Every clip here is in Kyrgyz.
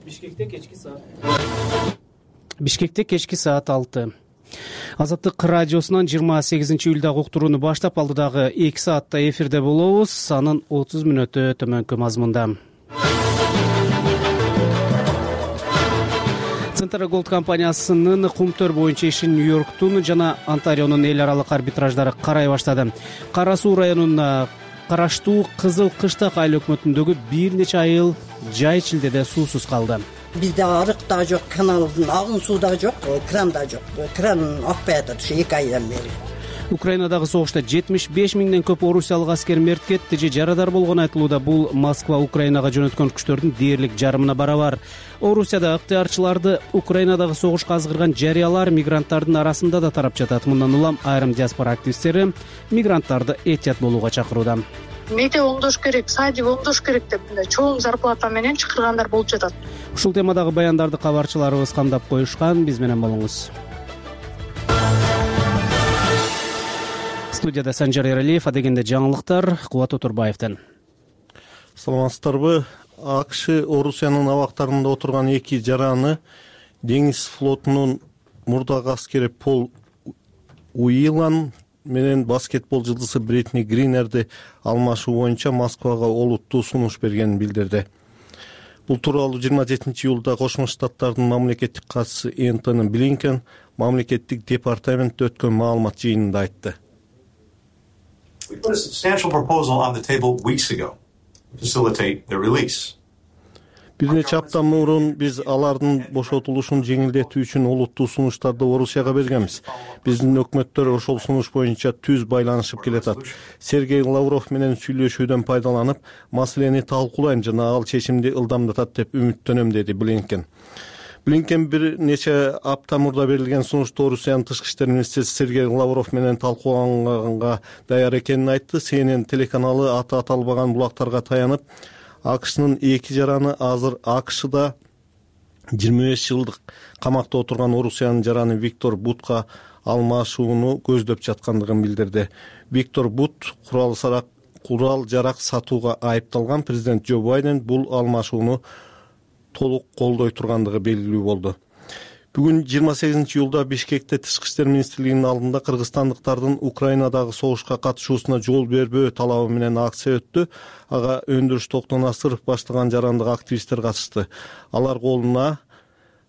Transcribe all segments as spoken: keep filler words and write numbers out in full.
Бишкекте кечки саат Бишкекте кечки саат алты. Азаттык радиосунан жыйырма сегизинчи июлдагы уктурууну баштап алдыдагы эки саатта эфирде болобуз. Анын отуз мүнөтү төмөнкү мазмунда. Центр Голд компаниясынын кумтөр боюнча ишин Нью-Йорктун жана Онтарионун эл аралык арбитраждары карай баштады. Кара Суу районуна караштуу Кызыл Кыштак айыл өкмөтүндөгү бир нече айыл жай чилдеде суусуз калды. Бизде арык да жок, каналдын агын суу да жок, кран да жок. Кран акпай атат ушу эки айдан бери. Украинадагы согушта жетимиш беш миңден көп орусиялык аскер мерт кетти же жарадар болгону айтылууда. Бул Москва Украинага жөнөткөн күчтөрдүн дээрлик жарымына барабар. Орусияда ыктыярчыларды Украинадагы согушка азгырган жарыялар мигранттардын арасында да тарап жатат. Мындан улам айрым диаспора активисттери мигранттарды этият болууга чакырууда. Мектеп оңдош керек, садик оңдош керек деп мындай чоң зарплата менен чакыргандар болуп жатат. Ушул темадагы баяндарды кабарчыларыбыз камдап коюшкан. Биз менен болуңуз. Студияда Санжар Эралиев, адегенде жаңылыктар Кубат Отурбаевден. Саламатсыздарбы? АКШ Орусиянын абактарында отурган эки жараны деңиз флотунун мурдагы аскери Пол Уилан менен баскетбол жылдызы Бритни Гринерди алмашуу боюнча Москвага олуттуу сунуш бергенин билдирди. Бул тууралуу жыйырма жетинчи июлда Кошмо Штаттардын мамлекеттик катчысы Энтони Блинкен мамлекеттик департаментте өткөн маалымат жыйынында айтты. We put a substantial proposal on the table weeks ago to facilitate their release. Бир нече апта мурун биз алардын бошотулушун жеңилдетүү үчүн олуттуу сунуштарды Орусияга бергенбиз. Биздин өкмөттөр ошол сунуш боюнча түз байланышып келатат. Сергей Лавров менен сүйлөшүүдөн пайдаланып, маселени талкуулайм жана ал чечимди ылдамдатат деп үмүттөнөм, деди Блинкен. Блинкен бир нече апта мурда берилген сунушту Орусиянын тышкы иштер министриси Сергей Лавров менен талкууланганга даяр экенин айтты. Си Эн Эн телеканалы аты аталбаган булактарга таянып, АКШнын эки жараны азыр АКШда жыйырма беш жылдык камакта отурган Орусиянын жараны Виктор Бутка алмашууну көздөп жаткандыгын билдирди. Виктор Бут курал сарак курал жарак сатууга айыпталган. Президент Джо Байден бул алмашууну толук колдой тургандыгы белгилүү болду. Бүгүн жыйырма сегизинчи июлда Бишкекте Тышкы иштер министрлигинин алдында кыргызстандыктардын Украинадагы согушка катышуусуна жол бербөө талабы менен акция өттү. Ага Өндүрүш Токтонасыров баштаган жарандык активисттер катышты. Алар колуна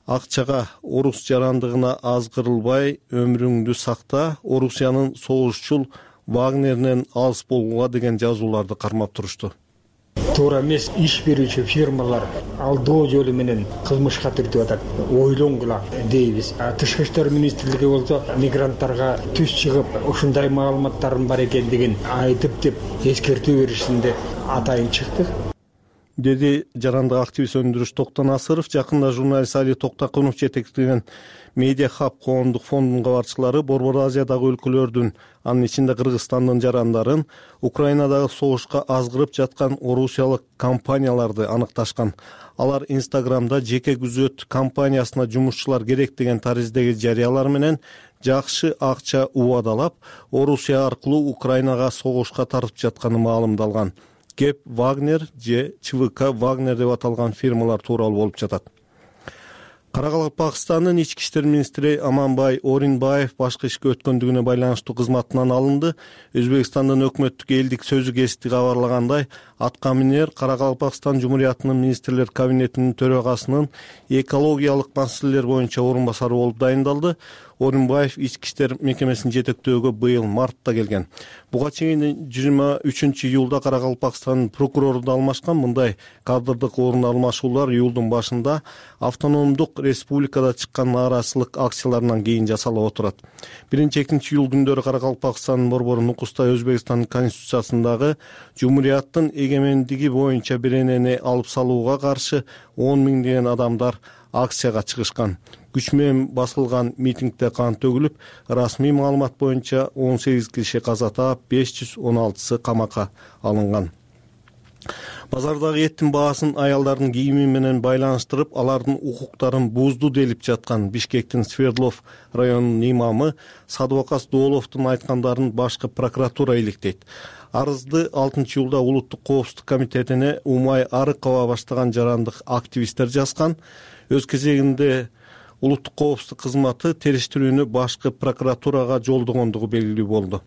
акчага орус жарандыгына азгырылбай өмүрүңдү сакта, Орусиянын согушчул Вагнеринен алыс болууга деген жазууларды кармап турушту. Туура эмес иш берүүчү фирмалар алдоо жолу менен кылмышка тиртип атат. Ойлонгула дейбиз. Тышкы иштер министрлиги болсо мигранттарга түз чыгып ушундай маалыматтардын бар экендигин айтып деп эскертүү беришинде атайын чыкты, деди жарандык активист Өндүрүш Токтонасыров. Жакында журналист Али Токтокунов жетектеген Медиа Хаб коомдук фондунун кабарчылары Борбор Азиядагы өлкөлөрдүн, анын ичинде Кыргызстандын жарандарын Украинадагы согушка азгырып жаткан орусиялык компанияларды аныкташкан. Алар Инстаграмда жеке күзөт компаниясына жумушчулар керек деген тариздеги жарыялар менен жакшы акча убадалап, Орусия аркылуу Украинага согушка тартып жатканы маалымдалган. Кеп Вагнер же ЧВК Вагнер деп аталган фирмалар тууралуу болуп жатат. Каракалпакстандын ички иштер министри Аманбай Оринбаев башкы ишке өткөндүгүнө байланыштуу кызматынан алынды. Өзбекстандын өкмөттүк элдик сөзү гезити кабарлагандай, атка минер Каракалпакстан Жумуриятынын министрлер кабинетинин төрагасынын экологиялык маселелер боюнча орун басары болуп дайындалды. Оринбаев ички иштер мекемесин жетектөөгө быйыл мартта келген. Буга чейин жыйырма үчүнчү июлда Каракалпакстандын прокурору да алмашкан. Мындай кадрдык орун алмашуулар июлдун башында автономдук республикада чыккан нааразычылык акцияларынан кийин жасалып отурат. биринчи экинчи июл күндөрү Каракалпакстандын борбору Нукуста Өзбекстандын конституциясындагы Жумурияттын эгемендиги боюнча беренени алып салууга каршы он миңдеген адамдар акцияга чыгышкан. Күч менен басылган митингде кан төгүлүп, расмий маалымат боюнча он сегиз киши каза таап, беш жүз он алтысы камакка алынган. Базардагы эттин баасын аялдардын кийими менен байланыштырып, алардын укуктарын бузду делип жаткан Бишкектин Свердлов районунун имамы Садвакас Дооловдун айткандарын башкы прокуратура иликтейт. Арызды алтынчы июлда Улуттук коопсуздук комитетине Умай Арыкова баштаган жарандык активисттер жазган. Өз кезегинде Улуттук коопсуздук кызматы териштирүүнү башкы прокуратурага жолдогондугу белгилүү болду.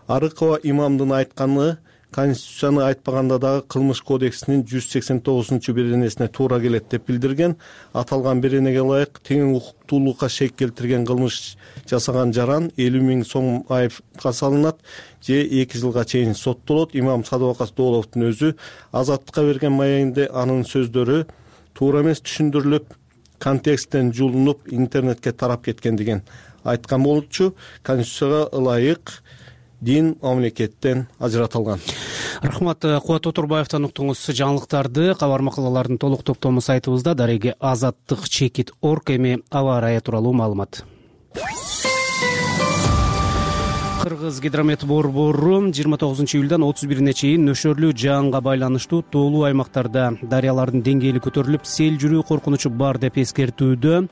Арыкова имамдын айтканы Конституцияны айтпаганда дагы Кылмыш кодексинин жүз сексен тогузунчу беренесине туура келет деп билдирген. Аталган беренеге ылайык тең укуктуулукка шек келтирген кылмыш жасаган жаран элүү миң сом айыпка салынат же эки жылга чейин соттолот. Имам Садыбакас Дооловдун өзү Азаттыкка берген маегинде анын сөздөрү туура эмес түшүндүрүлүп, контексттен жулунуп, интернетке тарап кеткен деген айткан болчу. Конституцияга ылайык дин мамлекеттен ажыратылган. Рахмат. Кубат Отурбаевден уктуңуз жаңылыктарды. Кабар макалалардын толук топтому сайтыбызда. Дареги Азаттык чекит орг эми аба ырайы тууралуу маалымат. Кыргыз гидромет борбору жыйырма тогузунчу июлдан отуз бирине чейин нөшөрлүү жаанга байланыштуу тоолуу аймактарда дарыялардын деңгээли көтөрүлүп, сел жүрүү коркунучу бар деп эскертүүдө.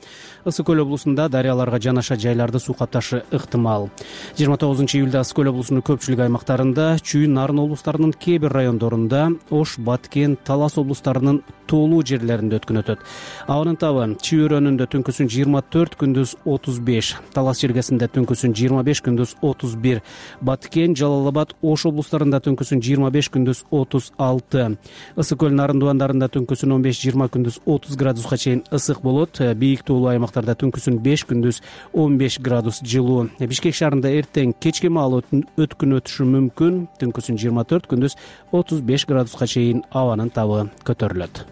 Ысык көл облусунда дарыяларга жанаша жайларды суу капташы ыктымал. жыйырма тогузунчу июлда Ысык көл облусунун көпчүлүк аймактарында, Чүй, Нарын облустарынын кээ бир райондорунда, Ош, Баткен, Талас облустарынын тоолуу жерлеринде өткөн өтөт. Абанын табы Чүй өрөөнүндө түнкүсүн жыйырма төрт, күндүз отуз беш, Талас жергесинде түнкүсүн жыйырма беш, күндүз отуз бир, Баткен, Жалал Абад, Ош облустарында түнкүсүн жыйырма беш, күндүз отуз алты, Ысык көл Нарын дубандарында түнкүсүн он беш, жыйырма, күндүз отуз градуска чейин ысык болот. Бийик тоолуу аймактарда түнкүсүн беш, күндүз он беш градус жылуу. Бишкек шаарында эртең кечке маал өткүн өтүшү мүмкүн. Түнкүсүн жыйырма төрт, күндүз отуз беш градуска чейин абанын табы көтөрүлөт.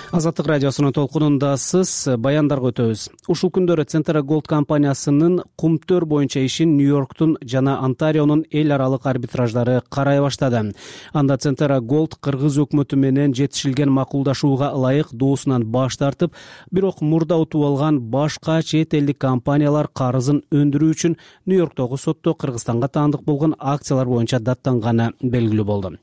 Азаттык радиосунун толкунундасыз. Баяндарга өтөбүз. Ушул күндөрү Центра Голд компаниясынын кумтөр боюнча ишин Нью-Йорктун жана Онтарионун эл аралык арбитраждары карай баштады. Анда Центра Голд Кыргыз өкмөтү менен жетишилген макулдашууга ылайык доосунан баш тартып, бирок мурда утуп алган башка чет элдик компаниялар карызын өндүрүү үчүн Нью-Йорктогу сотто Кыргызстанга таандык болгон акциялар боюнча даттанганы белгилүү болду.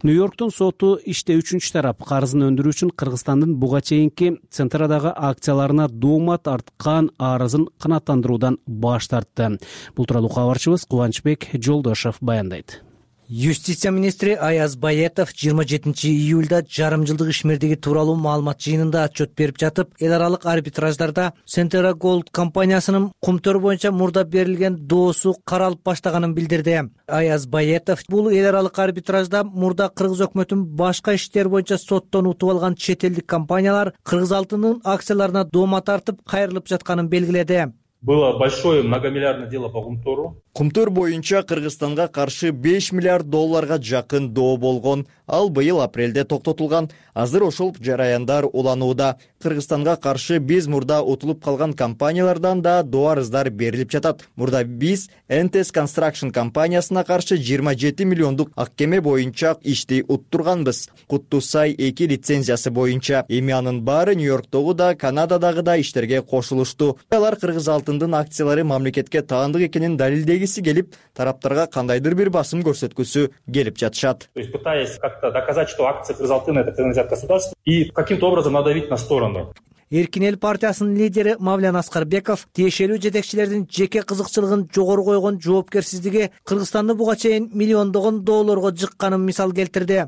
Нью-Йорктун соту иште үчүнчү тарап карызын өндүрүү үчүн Кыргызстандын буга чейинки Центрадагы акцияларына доомат арткан арызын канааттандыруудан баш тартты. Бул тууралуу кабарчыбыз Кубанычбек Жолдошов баяндайт. Юстиция министри Аяз Баетов жыйырма жетинчи июлда жарым жылдык ишмердиги тууралуу маалымат жыйынында отчет берип жатып, эл аралык арбитраждарда Центра Голд компаниясынын кумтөр боюнча мурда берилген доосу каралып баштаганын билдирди. Аяз Баетов бул эл аралык арбитражда мурда Кыргыз өкмөтүнүн башка иштер боюнча соттон утуп алган чет элдик компаниялар Кыргыз алтынынын акцияларына доомат тартып кайрылып жатканын белгиледи. Было большое многомиллиардное дело по Кумтуру. Кумтур боюнча Кыргызстанга каршы беш миллиард долларга жакын доо болгон. Ал быйыл апрелде токтотулган. Азыр ошол жараяндар уланууда. Кыргызстанга каршы биз мурда утулуп калган компаниялардан да доо арыздар берилип жатат. Мурда биз эн ти эс Construction компаниясына каршы жыйырма жети миллиондук аккеме боюнча ишти уттурганбыз. Куттусай эки лицензиясы боюнча. Эми анын баары Нью-Йорктогу да, Канададагы да иштерге кошулушту. Алар Кыргыз алтындын акциялары мамлекетке таандык экенин далилдегиси келип, тараптарга кандайдыр бир басым көрсөткүсү келип жатышат. То есть пытаясь как-то доказать, что акции Кыргыз алтына это принадлежат государству и каким-то образом надавить на сторону. Эркин эл партиясынын лидери Мавлян Аскарбеков тиешелүү жетекчилердин жеке кызыкчылыгын жогору койгон жоопкерсиздиги Кыргызстанды буга чейин миллиондогон долларга жыкканын мисал келтирди.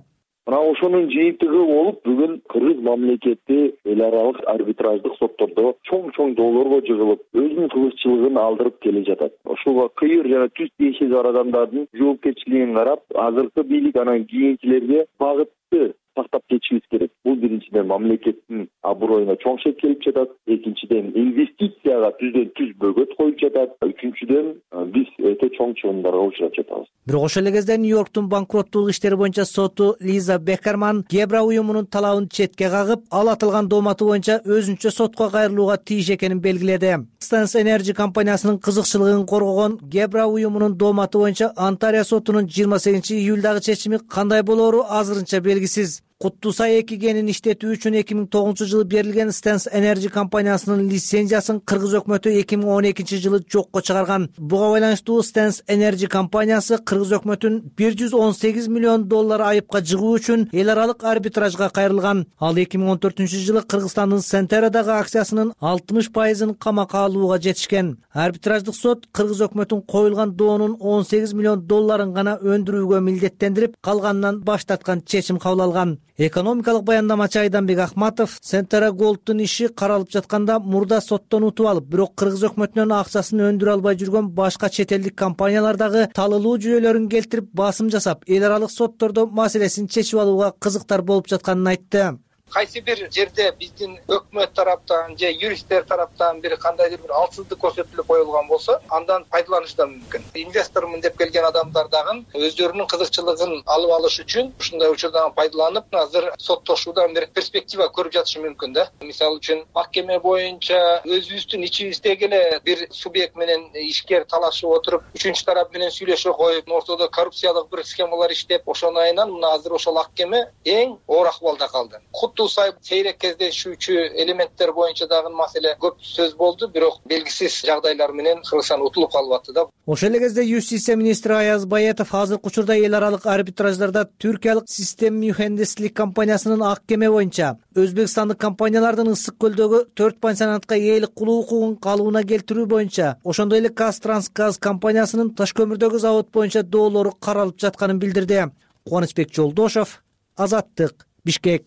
Мына ошонун жыйынтыгы болуп, бүгүн Кыргыз мамлекети эл аралык арбитраждык соттордо чоң-чоң долларга жыгылып, өзүнүн кызыкчылыгын алдырып келе жатат. Ошого кыйыр жана түз тиешеси бар адамдардын жоопкерчилигин карап, азыркы бийлик анан кийинкилерге багытты сактап кетишибиз керек. Бул биринчиден мамлекеттин аброюна чоң шек келип жатат, экинчиден инвестицияга түздөн түз бөгөт коюп жатат, үчүнчүдөн биз өтө чоң чыгымдарга учурап жатабыз. Бирок ошол эле кезде Нью-Йорктун банкроттуулук иштери боюнча соту Лиза Беккерман Гебра уюмунун талабын четке кагып, ал атылган дооматы боюнча өзүнчө сотко кайрылууга тийиш экенин белгиледи. Stans Energy компаниясынын кызыкчылыгын коргогон Гебра уюмунун дооматы боюнча Онтарио сотунун жыйырма сегизинчи июлдагы чечими кандай болоору азырынча белгисиз. Куттуу Сай эки кенин иштетүү үчүн эки миң тогузунчу жылы берилген Stance Energy компаниясынын лицензиясын кыргыз өкмөтү эки миң он экинчи жылы жокко чыгарган. Буга байланыштуу Stance Energy компаниясы кыргыз өкмөтүн бир жүз он сегиз миллион доллар айыпка жыгуу үчүн эл аралык арбитражга кайрылган. Ал эки миң он төртүнчү жылы Кыргызстандын Сентерадагы акциясынын алтымыш пайызын камакка алууга жетишкен. Арбитраждык сот кыргыз өкмөтүн коюлган доонун он сегиз миллион долларын гана өндүрүүгө милдеттендирип, калганынан баш тарткан чечим кабыл алган. Экономикалык баяндамачы Айданбек Ахматов Сентера Голдтун иши каралып жатканда мурда соттон утуп алып, бирок кыргыз өкмөтүнөн акчасын өндүрө албай жүргөн башка чет элдик компаниялардагы талылуу жүйөлөрүн келтирип басым жасап, эл аралык соттордо маселесин чечип алууга кызыктар болуп жатканын айтты. Кайсы бир жерде биздин өкмөт тараптан же юристтер тараптан бир кандайдыр бир алсыздык көрсөтүлүп коюлган болсо, андан пайдаланыш да мүмкүн. Инвестормун деп келген адамдар дагы өздөрүнүн кызыкчылыгын алып алыш үчүн ушундай учурдан пайдаланып, азыр соттошуудан бир перспектива көрүп жатышы мүмкүн да. Мисалы үчүн, махкеме боюнча өзүбүздүн ичибиздеги эле бир субъект менен ишкер талашып отуруп, үчүнчү тарап менен сүйлөшө коюп, ортодо коррупциялык бир схемалар иштеп, ошону айынан мына азыр ошол махкеме эң оор акыбалда калды. Куттуу-Сай сейрек кездешүүчү элементтер боюнча дагы маселе көп сөз болду, бирок белгисиз жагдайлар менен Кыргызстан утулуп калып атты да. Ошол эле кезде юстиция министри Аяз Баятов азыркы учурда эл аралык арбитраждарда түркиялык Систем Mühendislik компаниясынын ак кеме боюнча өзбекстандык компаниялардын Ысык көлдөгү төрт пансионатка ээлик кылуу укугун калыбына келтирүү боюнча, ошондой эле Казтрансгаз компаниясынын таш көмүрдөгү завод боюнча доолору каралып жатканын билдирди. Кубанычбек Жолдошов, Азаттык, Бишкек.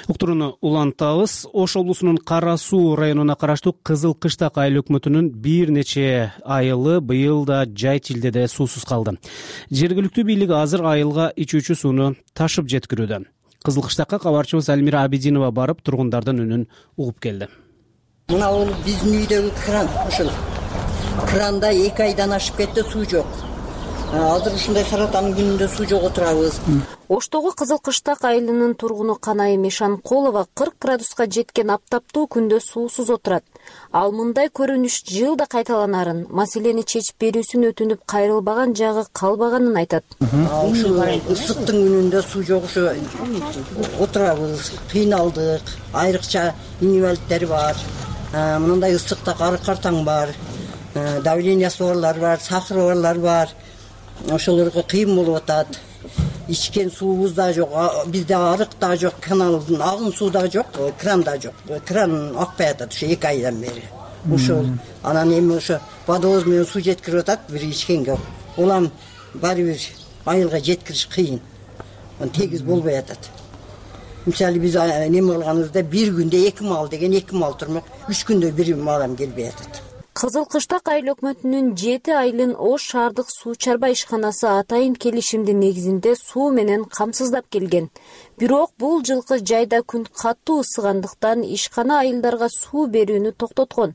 Уктурууну улантабыз. Ош облусунун Кара Суу районуна караштуу Кызыл Кыштак айыл өкмөтүнүн бир нече айылы быйыл да жай тилдеде суусуз калды. Жергиликтүү бийлик азыр айылга ичүүчү сууну ташып жеткирүүдө. Кызыл Кыштакка кабарчыбыз Альмира Абидинова барып тургундардын үнүн угуп келди. Мына бул биздин үйдөгү кран, ушул кранда эки айдан ашып кетти, суу жок. Азыр ушундай саратанын күнүндө суу жок отурабыз. Оштогу Кызыл Кыштак айылынын тургуну Канай Мешанкулова кырк градуска жеткен аптаптуу күндө суусуз отурат. Ал мындай көрүнүш жылда кайталанарын, маселени чечип берүүсүн өтүнүп кайрылбаган жагы калбаганын айтат. Ушул ысыктын күнүндө суу жок, ушу отурабыз, кыйналдык. Айрыкча инвалидтер бар. Мындай ысыкта картаң бар. Давлениясы барлар бар, сахары барлар бар. Ошолорго кыйын болуп атат. Ичкен суубуз да жок, бизде арык да жок, каналдын агын суу да жок, кран да жок. Кран акпай атат ушу эки айдан бери. Ушул анан эми ошо водовоз менен суу жеткирип атат, бир ичкенге. Улам баары бир айылга жеткириш кыйын. Тегиз болбой атат. Мисалы биз неме кылганыбызда бир күндө эки мал деген эки мал турмак, үч күндө бир малам келбей атат. Кызыл Кыштак айыл өкмөтүнүн жети айылын Ош шаардык суу чарба ишканасы атайын келишимдин негизинде суу менен камсыздап келген. Бирок бул жылкы жайда күн катуу ысыгандыктан ишкана айылдарга суу берүүнү токтоткон.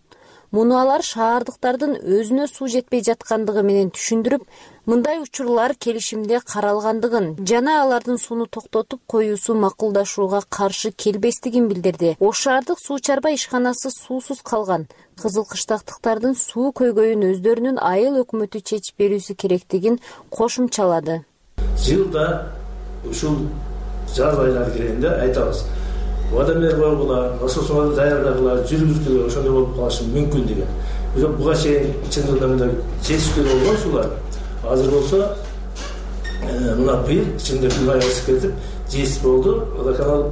Муну алар шаардыктардын өзүнө суу жетпей жаткандыгы менен түшүндүрүп, мындай учурлар келишимде каралгандыгын жана алардын сууну токтотуп коюусу макулдашууга каршы келбестигин билдирди. Ош шаардык суу чарба ишканасы суусуз калган. Кызыл Кыштактыктардын суу көйгөйүн өздөрүнүн айыл өкмөтү чечип берүүсү керектигин кошумчалады. Жылда ушул жаз айлары келгенде айтабыз. Водомер койгула, насосовду даярдагыла, жүргүзгүлө ошондой болуп калышы мүмкүн деген. Бирок буга чейин чын жылдарда жетишпей болгон суулар. Азыр болсо мына быйыл ичинде мындай ысык кетип, жетиш болду, водоканал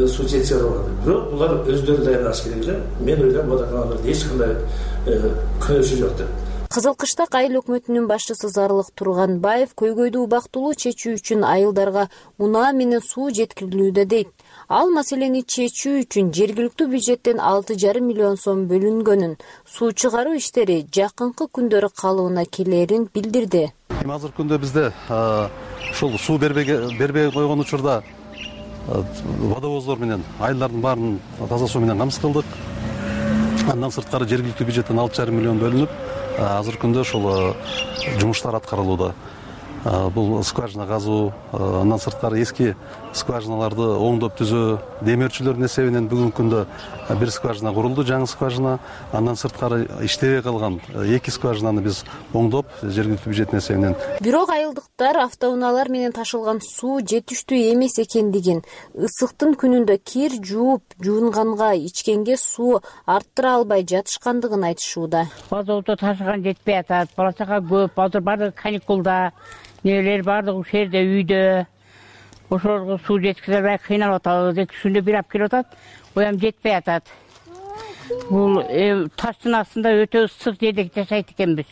суу жетише албады. Бирок булар өздөрү даярдаш керек эле. Мен ойлойм, водоканалда эч кандай күнөөсү жок деп. Кызыл Кыштак айыл өкмөтүнүн башчысы Зарылык Турганбаев көйгөйдү убактылуу чечүү үчүн айылдарга унаа менен суу жеткирилүүдө дейт. Ал маселени чечүү үчүн жергиликтүү бюджеттен алты жарым миллион сом бөлүнгөнүн, суу чыгаруу иштери жакынкы күндөрү калыбына келерин билдирди. Азыркы күндө бизде ушул суу бербей койгон учурда водовоздор менен айылдардын баарын таза суу менен камсыз кылдык. Андан сырткары жергиликтүү бюджеттен алты жарым миллион бөлүнүп, азыркы күндө ушул жумуштар аткарылууда. бул скважина казуу, андан сырткары эски скважиналарды оңдоп түзөө, демөөрчүлөрдүн эсебинен бүгүнкү күндө бир скважина курулду, жаңы скважина. Андан сырткары иштебей калган эки скважинаны биз оңдоп, жергиликтүү бюджеттин эсебинен. Бирок айылдыктар автоунаалар менен ташылган суу жетиштүү эмес экендигин, ысыктын күнүндө кир жууп, жуунганга, ичкенге суу арттыра албай жатышкандыгын айтышууда. Базоодо ташыган жетпей атат, бала чага көп, азыр баардыгы каникулда, нелер баардыгы ушул жерде үйдө. Ошолорго суу жеткизе албай кыйналып атабыз. Эки күндө бир алып келип атат, оям жетпей атат. Бул таштын астында өтө ысык жерде жашайт экенбиз.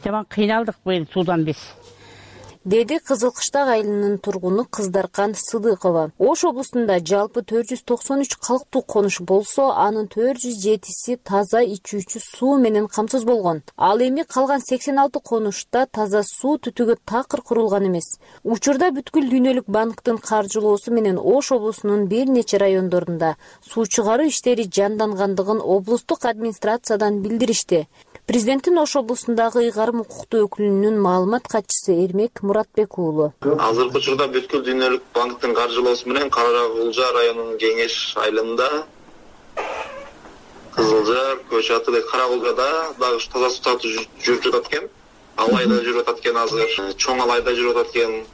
Жаман кыйналдык быйыл суудан биз, деди Кызыл Кыштак айылынын тургуну Кыздаркан Сыдыкова. Ош облусунда жалпы төрт жүз токсон үч калктуу конуш болсо, анын төрт жүз жетиси таза ичүүчү суу менен камсыз болгон. Ал эми калган сексен алты конушта таза суу түтүгө такыр курулган эмес. Учурда бүткүл дүйнөлүк банктын каржылоосу менен Ош облусунун бир нече райондорунда суу чыгаруу иштери жандангандыгын облустук администрациядан билдиришти. Президенттин Ош облусундагы ыйгарым укуктуу өкүлүнүн маалымат катчысы Эрмек Муратбек уулу. Азыркы учурда бүткүл дүйнөлүк банктын каржылоосу менен Кара Кулжа районунун Кеңеш айылында, Кызылжар, Көч аты Кара Кулжада дагы таза суу тартуу жүрүп жатат экен. Алайда жүрүп жатат экен азыр. Чоң Алайда жүрүп жатат экен.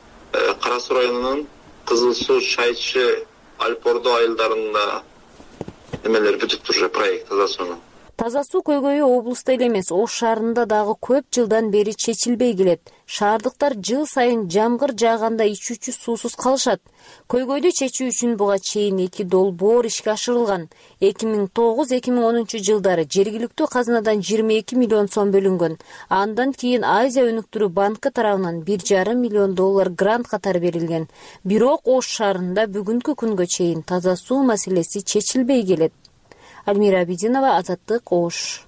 Кара Суу районунун Кызыл Суу, Шайчы, Альпордо айылдарында эмелер бүтүп туруп проект таза сууну. Таза суу көйгөйү облуста эле эмес, Ош шаарында дагы көп жылдан бери чечилбей келет. Шаардыктар жыл сайын жамгыр жааганда ичүүчү суусуз калышат. Көйгөйдү чечүү үчүн буга чейин эки долбоор ишке ашырылган. эки миң тогуз эки миң онунчу жылдары жергиликтүү казынадан жыйырма эки миллион сом бөлүнгөн. Андан кийин Азия өнүктүрүү банкы тарабынан бир жарым миллион доллар грант катары берилген. Бирок Ош шаарында бүгүнкү күнгө чейин таза суу маселеси чечилбей келет. Альмира Абидинова, Азаттык, Ош.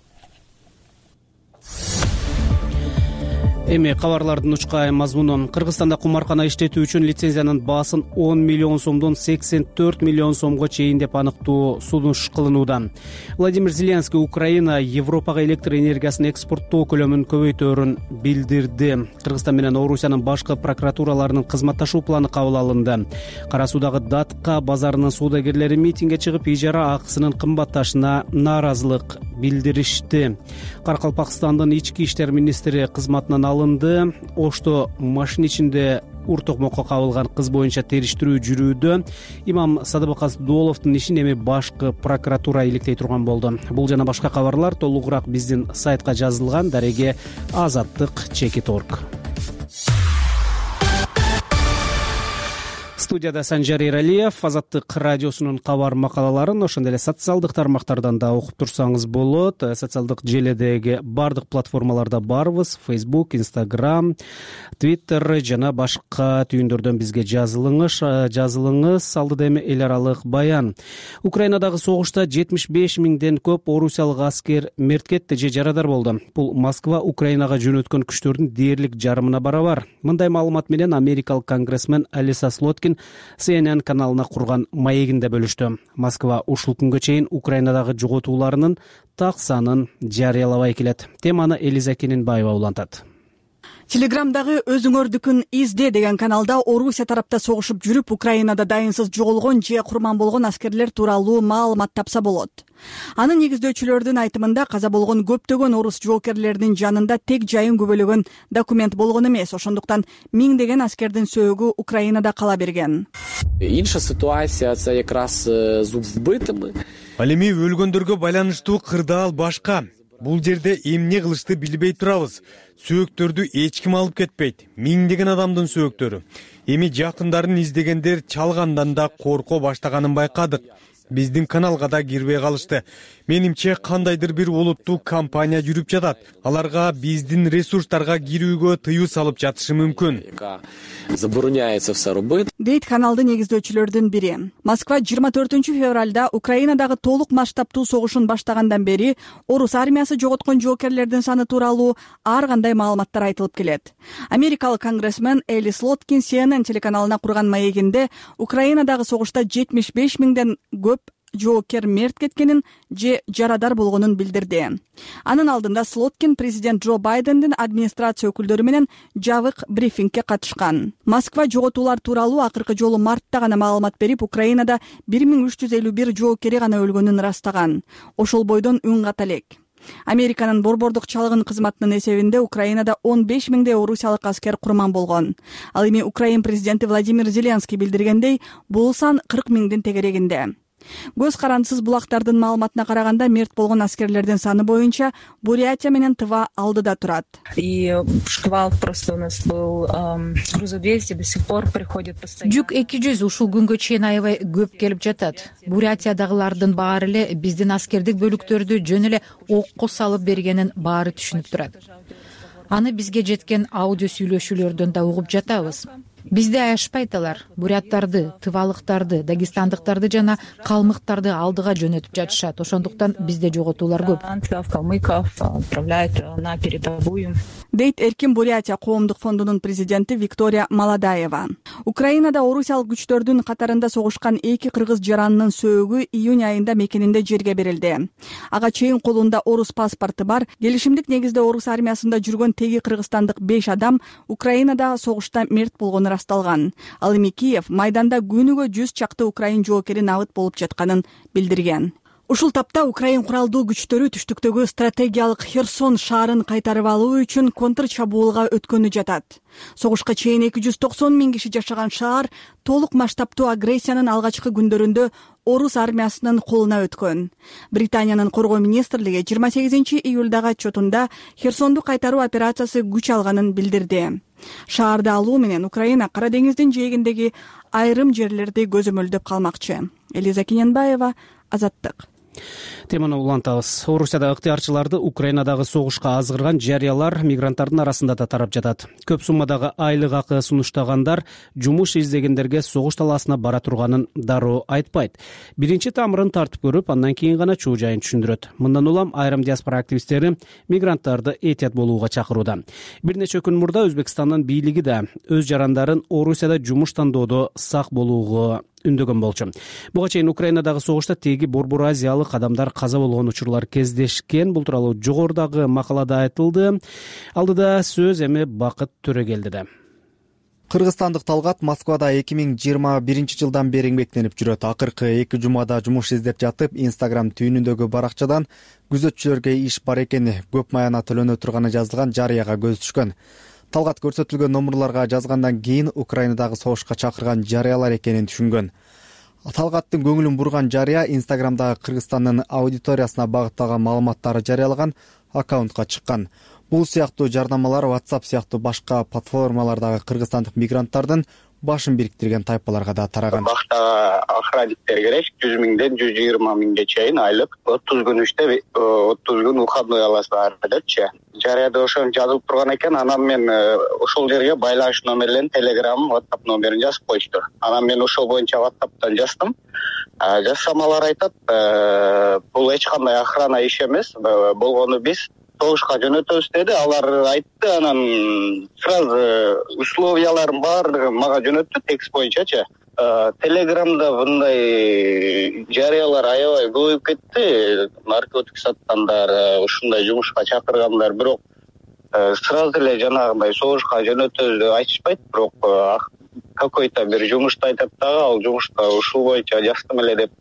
Эми кабарлардын учкай мазмуну. Кыргызстанда кумаркана иштетүү үчүн лицензиянын баасын он миллион сомдон сексен төрт миллион сомго чейин деп аныктоо сунуш кылынууда. Владимир Зеленский Украина Европага электр энергиясын экспорттоо көлөмүн көбөйтөөрүн билдирди. Кыргызстан менен Орусиянын башкы прокуратураларынын кызматташуу планы кабыл алынды. Кара Суудагы Датка базарынын соодагерлери митингге чыгып, ижара акысынын кымбатташына нааразылык билдиришти. Каракалпакстандын ички иштер министри кызматынан алынды. Ошто машина ичинде ур токмокко кабылган кыз боюнча териштирүү жүрүүдө. Имам Садыбакас Дуоловдун ишин эми башкы прокуратура иликтей турган болду. Бул жана башка кабарлар толугураак биздин сайтка жазылган. Дареге Азаттык чекит орг. Студияда Санжар Эралиев. Азаттык радиосунун кабар макалаларын ошондой эле социалдык тармактардан да окуп турсаңыз болот. Социалдык желедеги бардык платформаларда барбыз. Facebook, Instagram, Twitter жана башка түйүндөрдөн бизге жазылыңыз. Жазылыңыз. Алдыда эми эл аралык баян. Украинадагы согушта жетимиш беш миңден көп орусиялык аскер мерт кетти же жарадар болду. Бул Москва Украинага жөнөткөн күчтөрдүн дээрлик жарымына барабар. Мындай маалымат менен америкалык конгрессмен Алиса Слоткин Си Эн Эн каналына курган маегинде бөлүштү. Москва ушул күнгө чейин Украинадагы жоготууларынын так санын жарыялабай келет. Теманы Элиза Кененбаева улантат. Телеграмдагы өзүңөрдүкүн изде деген каналда Орусия тарапта согушуп жүрүп, Украинада дайынсыз жоголгон же курман болгон аскерлер тууралуу маалымат тапса болот. Анын негиздөөчүлөрдүн айтымында каза болгон көптөгөн орус жоокерлеринин жанында тек жайын күбөлөгөн документ болгон эмес, ошондуктан миңдеген аскердин сөөгү Украинада кала берген. Инша ситуация це якраз з вбитими. Ал эми өлгөндөргө байланыштуу кырдаал башка. Бул жерде эмне кылышты билбей турабыз. Сөөктөрдү эч ким алып кетпейт. Миңдеген адамдын сөөктөрү. Эми жакындарын издегендер чалгандан да корко баштаганын байкадык. Биздин каналга да кирбей калышты. Менимче кандайдыр бир олуттуу компания жүрүп жатат. Аларга биздин ресурстарга кирүүгө тыюу салып жатышы мүмкүн. Забороняется все робити. Дейт каналды негиздөөчүлөрдүн бири. Москва жыйырма төртүнчү февралда Украинадагы толук масштабтуу согушун баштагандан бери орус армиясы жоготкон жоокерлердин саны тууралуу ар кандай маалыматтар айтылып келет. Америкалык конгрессмен Элис Лоткин Си Эн Эн телеканалына курган маегинде Украинадагы согушта жетимиш беш миңден көп жоокер мерт кеткенин же жарадар болгонун билдирди. Анын алдында Слоткин президент Джо Байдендин администрация өкүлдөрү менен жабык брифингге катышкан. Москва жоготуулар тууралуу акыркы жолу мартта гана маалымат берип, Украинада бир миң үч жүз элүү бир жоокери гана өлгөнүн ырастаган. Ошол бойдон үн ката элек. Американын борбордук чалгын кызматынын эсебинде Украинада он беш миңдей орусиялык аскер курман болгон. Ал эми Украин президенти Владимир Зеленский билдиргендей, бул сан кырк миңдин тегерегинде. Көз карандысыз булактардын маалыматына караганда, мерт болгон аскерлердин саны боюнча Бурятия менен Тыва алдыда турат. И шквал просто у нас был грузов двести, до сих пор приходит постоянно. Жүк эки жүз ушул күнгө чейин аябай көп келип жатат. Бурятиядагылардын баары эле биздин аскердик бөлүктөрдү жөн эле окко салып бергенин баары түшүнүп турат. Аны бизге жеткен аудио сүйлөшүүлөрдөн да угуп жатабыз. Бизде аябайт алар. Буряттарды, тывалыктарды, дагестандыктарды жана калмыктарды алдыга жөнөтүп жатышат. Ошондуктан бизде жоготуулар көп. Калмыков отправляют на передовую. Дейт Эркин Бурятия коомдук фондунун президенти Виктория Маладаева. Украинада орусиялык күчтөрдүн катарында согушкан эки кыргыз жаранынын сөөгү июнь айында мекенинде жерге берилди. Ага чейин колунда орус паспорту бар, келишимдик негизде орус армиясында жүргөн теги кыргызстандык беш адам Украинада согушта мерт болгону расталган. Ал эми Киев майданда күнүгө жүз чакты украин жоокери набыт болуп жатканын билдирген. Ушул тапта Украин куралдуу күчтөрү түштүктөгү стратегиялык Херсон шаарын кайтарып алуу үчүн контр чабуулга өткөнү жатат. Согушка чейин эки жүз токсон миң киши жашаган шаар толук масштабтуу агрессиянын алгачкы күндөрүндө орус армиясынын колуна өткөн. Британиянын коргоо министрлиги жыйырма сегизинчи июлдагы отчетунда Херсонду кайтаруу операциясы күч алганын билдирди. Шаарды алуу менен Украина Кара деңиздин жээгиндеги айрым жерлерди көзөмөлдөп калмакчы. Элиза Кененбаева, Азаттык. Теманы улантабыз. Орусияда ыктыярчыларды Украинадагы согушка азгырган жарыялар мигранттардын арасында да тарап жатат. Көп суммадагы айлык акы сунуштагандар жумуш издегендерге согуш талаасына бара турганын дароо айтпайт. Биринчи тамырын тартып көрүп, андан кийин гана чуу жайын түшүндүрөт. Мындан улам айрым диаспора активисттери мигранттарды этият болууга чакырууда. Бир нече күн мурда Өзбекстандын бийлиги да өз жарандарын Орусияда жумуш тандоодо сак болууга үндөгөн болчу. Буга чейин Украинадагы согушта теги борбор азиялык адамдар каза болгон учурлар кездешкен. Бул тууралуу жогорудагы макалада айтылды. Алдыда сөз эми Бакыт Төрөгелдиде. Кыргызстандык Талгат Москвада эки миң жыйырма биринчи жылдан бери эмгектенип жүрөт. Акыркы эки жумада жумуш издеп жатып, Instagram түйүнүндөгү баракчадан күзөтчүлөргө иш бар экени, көп маяна төлөнө турганы жазылган жарыяга көз түшкөн. Талгат көрсөтүлгөн номурларга жазгандан кийин Украинадагы согушка чакырган жарыялар экенин түшүнгөн. Талгаттын көңүлүн бурган жарыя Инстаграмдагы Кыргызстандын аудиториясына багытталган маалыматтарды жарыялаган аккаунтка чыккан. Бул сыяктуу жардамалар WhatsApp сыяктуу башка платформалардагы кыргызстандык мигранттардын башын бириктирген тайпаларга да тараган. Баштагы охранниктер керек, жүз миңден жүз жыйырма миңге чейин айлык. отуз күн иште, отуз күн выходной аласыздар депчи. Жарыяда ошону жазылып турган экен, анан мен ошол жерге байланыш номерлерин, Telegram, WhatsApp номерин жазып коюшту. Анан мен ошол боюнча WhatsApp'тан жаздым. Жазсам алар айтат, бул эч кандай охрана иш эмес, болгону биз согушка жөнөтөбүз деди. Алар айтты, анан сразу условияларын баардыгын мага жөнөттү текст боюнчачы. Телеграмда мындай жарыялар аябай көбөйүп кетти. Наркотик саткандар, ушундай жумушка чакыргандар, бирок сразу эле жанагындай согушка жөнөтөбүз деп айтышпайт, бирок какой-то бир жумушту айтат дагы, ал жумушта ушул боюнча жаздым эле деп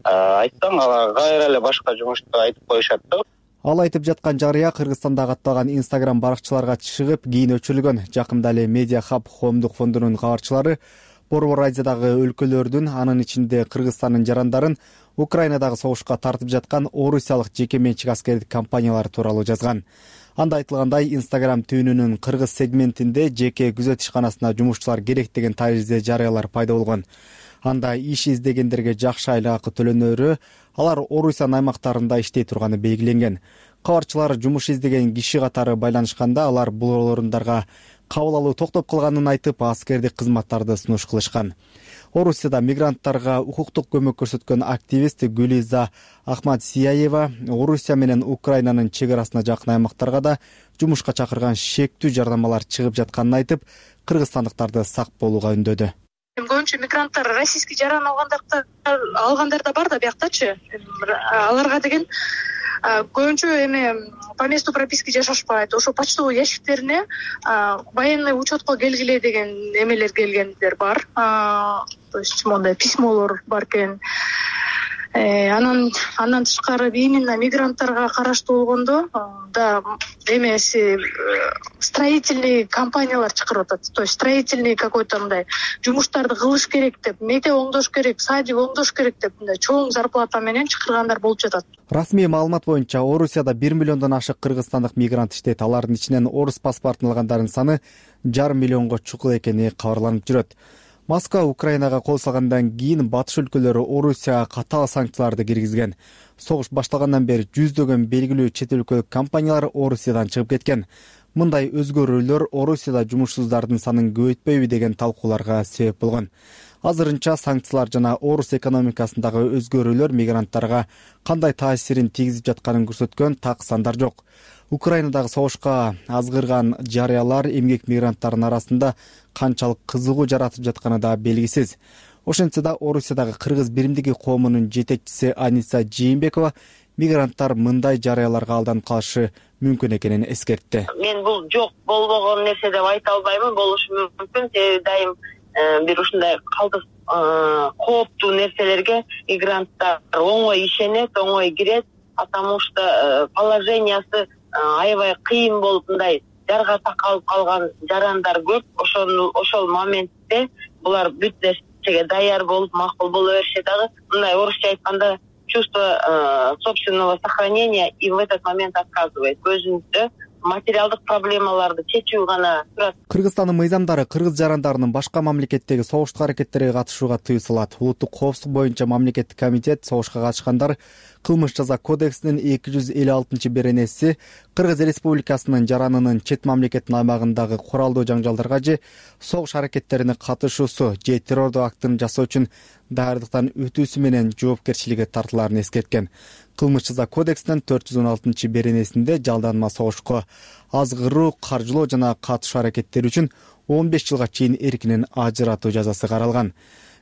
айтсаң, ага кайра эле башка жумушту айтып коюшат да. Ал айтып жаткан жарыя Кыргызстандагы атталган Instagram баракчаларга чыгып, кийин өчүрүлгөн. Жакында эле Media Hub коомдук фондунун кабарчылары Борбор Азиядагы өлкөлөрдүн, анын ичинде Кыргызстандын жарандарын Украинадагы согушка тартып жаткан орусиялык жеке менчик аскердик компаниялар тууралуу жазган. Анда айтылгандай, Instagram түйүнүнүн кыргыз сегментинде жеке күзөт ишканасына жумушчулар керек деген таризде жарыялар пайда болгон. Анда иш издегендерге жакшы айлык акы төлөнөрү, алар Орусиянын аймактарында иштей турганы белгиленген. Кабарчылар жумуш издеген киши катары байланышканда, алар бул орундарга кабыл алуу токтоп калганын айтып, аскердик кызматтарды сунуш кылышкан. Орусияда мигранттарга укуктук көмөк көрсөткөн активист Гүлиза Ахмадсияева Орусия менен Украинанын чек арасына жакын аймактарга да жумушка чакырган шектүү жардамалар чыгып жатканын айтып, кыргызстандыктарды сак болууга үндөдү. көбүнчө мигранттар российский жаран алгандар алгандар да бар да бияктачы. Аларга деген көбүнчө эме по месту прописки жашашпайт. Ошо почтовый ящиктерине военный учетко келгиле деген эмелер келгендер бар. То есть мондай письмолор бар экен. Анан андан тышкары именно мигранттарга караштуу болгондо да эмеси строительный компаниялар чакырып атат. То есть строительный какой-то мындай жумуштарды кылыш керек деп, мектеп оңдош керек, садик оңдош керек деп мындай чоң зарплата менен чакыргандар болуп жатат. Расмий маалымат боюнча Орусияда бир миллиондон ашык кыргызстандык мигрант иштейт. Алардын ичинен орус паспортун алгандардын саны жарым миллионго чукул экени кабарланып жүрөт. Москва Украинага кол салгандан кийин батыш өлкөлөрү Орусияга катаал санкцияларды киргизген. Согуш башталгандан бери жүздөгөн белгилүү чет өлкөлүк компаниялар Орусиядан чыгып кеткен. Мындай өзгөрүүлөр Орусияда жумушсуздардын санын көбөйтпөйбү деген талкууларга себеп болгон. Азырынча санкциялар жана орус экономикасындагы өзгөрүүлөр мигранттарга кандай таасирин тийгизип жатканын көрсөткөн так сандар жок. Украинадагы согушка азгырган жарыялар эмгек мигранттардын арасында канчалык кызыгуу жаратып жатканы да белгисиз. Ошентсе да Орусиядагы кыргыз биримдиги коомунун жетекчиси Аниса Жээнбекова мигранттар мындай жарыяларга алданып калышы мүмкүн экенин эскертти. Мен бул жок болбогон нерсе деп айта албаймын, болушу мүмкүн. Себеби дайым бир ушундай калдык кооптуу нерселерге мигранттар оңой ишенет, оңой кирет, потому что положениясы аябай кыйын болуп мындай жарга такалып калган жарандар көп. Ошол ошол моментте булар бүт нерсеге даяр болуп макул боло беришет дагы. Мындай орусча айтканда чувство собственного сохранения и в этот момент отказывает. Өзүндө материалдык проблемаларды чечүү гана турат. Кыргызстандын мыйзамдары кыргыз жарандарынын башка мамлекеттеги согуштук аракеттерге катышууга тыюу салат. Улуттук коопсуздук боюнча мамлекеттик комитет согушка катышкандар кылмыш жаза кодексинин эки жүз элүү алтынчы беренеси Кыргыз Республикасынын жаранынын чет мамлекеттин аймагындагы куралдуу жаңжалдарга же согуш аракеттерине катышуусу же террордук актын жасоо үчүн даярдыктан өтүүсү менен жоопкерчиликке тартылаарын эскерткен. Кылмыш жаза кодексинин төрт жүз он алтынчы беренесинде жалданма согушко азгыруу, каржылоо жана катышуу аракеттери үчүн он беш жылга чейин эркинен ажыратуу жазасы каралган.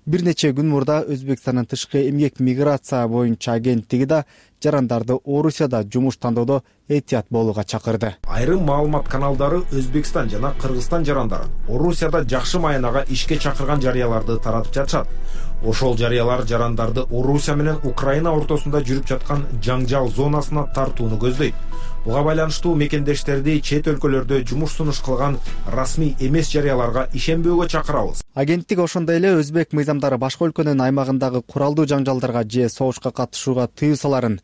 Бир нече күн мурда Өзбекстандын тышкы эмгек миграция боюнча агенттиги да жарандарды Орусияда жумуш тандоодо этият болууга чакырды. Айрым маалымат каналдары Өзбекстан жана Кыргызстан жарандарын Орусияда жакшы маянага ишке чакырган жарыяларды таратып жатышат. Ошол жарыялар жарандарды Орусия менен Украина ортосунда жүрүп жаткан жаңжал зонасына тартууну көздөйт. Буга байланыштуу мекендештерди чет өлкөлөрдө жумуш сунуш кылган расмий эмес жарыяларга ишенбөөгө чакырабыз. Агенттик ошондой эле өзбек мыйзамдары башка өлкөнүн аймагындагы куралдуу жаңжалдарга же согушка катышууга тыюу саларын,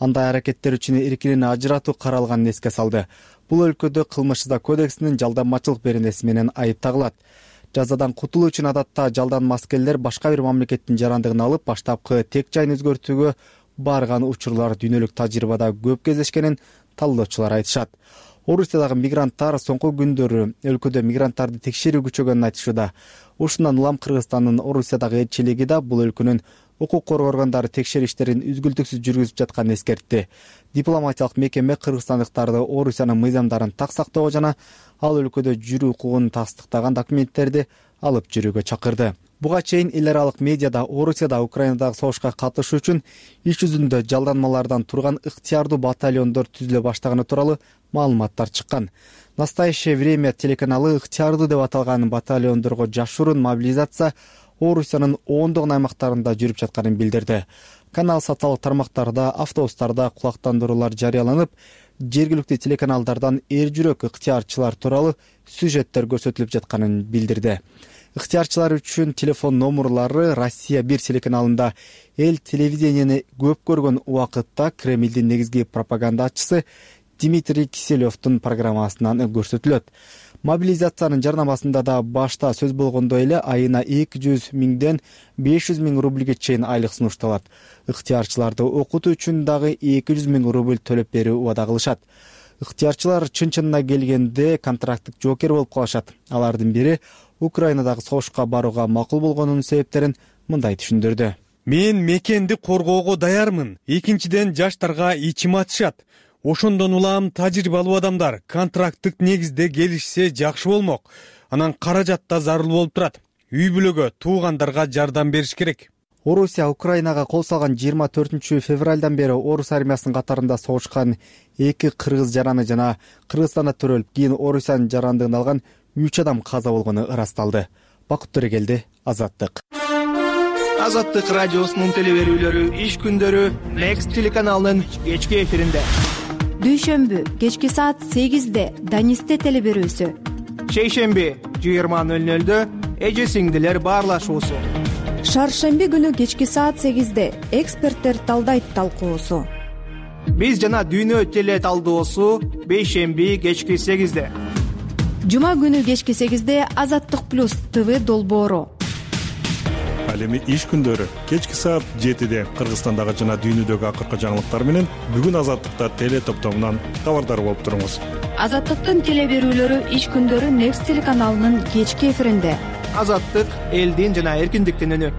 андай аракеттер үчүн эркинен ажыратуу каралганын эске салды. Бул өлкөдө кылмыш жаза кодексинин жалданмачылык беренеси менен айып тагылат. Жазадан кутулуу үчүн адатта жалданма аскерлер башка бир мамлекеттин жарандыгын алып, баштапкы тек жайын өзгөртүүгө барган учурлар дүйнөлүк тажрыйбада көп кездешкенин талдоочулар айтышат. Орусиядагы мигранттар соңку күндөрү өлкөдө мигранттарды текшерүү күчөгөнүн айтышууда. Ушундан улам Кыргызстандын Орусиядагы элчилиги да бул өлкөнүн укук коргоо органдары текшерүү иштерин үзгүлтүксүз жүргүзүп жатканын эскертти. Дипломатиялык мекеме кыргызстандыктарды Орусиянын мыйзамдарын так сактоого жана ал өлкөдө жүрүү укугун тастыктаган документтерди алып жүрүүгө чакырды. Буга чейин эл аралык медиада Орусияда Украинадагы согушка катышуу үчүн иш жүзүндө жалданмалардан турган ыктыярдуу батальондор түзүлө баштаганы тууралуу маалыматтар чыккан. Настоящее время телеканалы ыктыярдуу деп аталган батальондорго жашыруун мобилизация Орусиянын ондогон аймактарында жүрүп жатканын билдирди. Канал социалдык тармактарда, автобустарда кулактандыруулар жарыяланып, жергиликтүү телеканалдардан эр жүрөк ыктыярчылар тууралуу сюжеттер көрсөтүлүп жатканын билдирди. Ыктыярчылар үчүн телефон номерлары Россия бир телеканалында эл телевидениени көп көргөн убакытта Кремлдин негизги пропагандачысы Дмитрий Киселевдин программасынан көрсөтүлөт. Мобилизациянын жарнамасында да башта сөз болгондой эле айына эки жүз миңден беш жүз миң рубльге чейин айлык сунушталат. Ыктыярчыларды окутуу үчүн дагы эки жүз миң рубль төлөп берүү убада кылышат. Ыктыярчылар чын-чынына келгенде контракттык жоокер болуп калышат. Алардын бири Украинадагы согушка барууга макул болгонунун себептерин мындай түшүндүрдү. Мен мекенди коргоого даярмын. Экинчиден жаштарга ичим ачышат. Ошондон улам тажрыйбалуу адамдар контракттык негизде келишсе жакшы болмок. Анан каражат да зарыл болуп турат. үй бүлөгө, туугандарга жардам бериш керек. Орусия Украинага кол салган жыйырма төртүнчү февралдан бери орус армиясынын катарында согушкан эки кыргыз жараны жана Кыргызстанда төрөлүп, кийин Орусиянын жарандыгын алган үч адам каза болгону ырасталды. Бакыт Төрөгелди, Азаттык. Азаттык радиосунун телеберүүлөрү иш күндөрү Next телеканалынын кечки эфиринде. Дүйшөмбү кечки саат сегизде Данисте телеберүүсү. Шейшемби жыйырма нөл нөлдө эже сиңдилер баарлашуусу. Шаршемби күнү кечки саат сегизде эксперттер талдайт талкуусу. Биз жана дүйнө теле талдоосу бейшемби кечки сегизде. Жума күнү кечки сегизде Азаттык плюс ТВ долбоору. Ал эми иш күндөрү кечки саат жетиде Кыргызстандагы жана дүйнөдөгү акыркы жаңылыктар менен бүгүн Азаттыкта теле топтомунан кабардар болуп туруңуз. Азаттыктын телеберүүлөрү иш күндөрү Next телеканалынын кечки эфиринде. Азаттык элдин жана эркиндиктин үнү.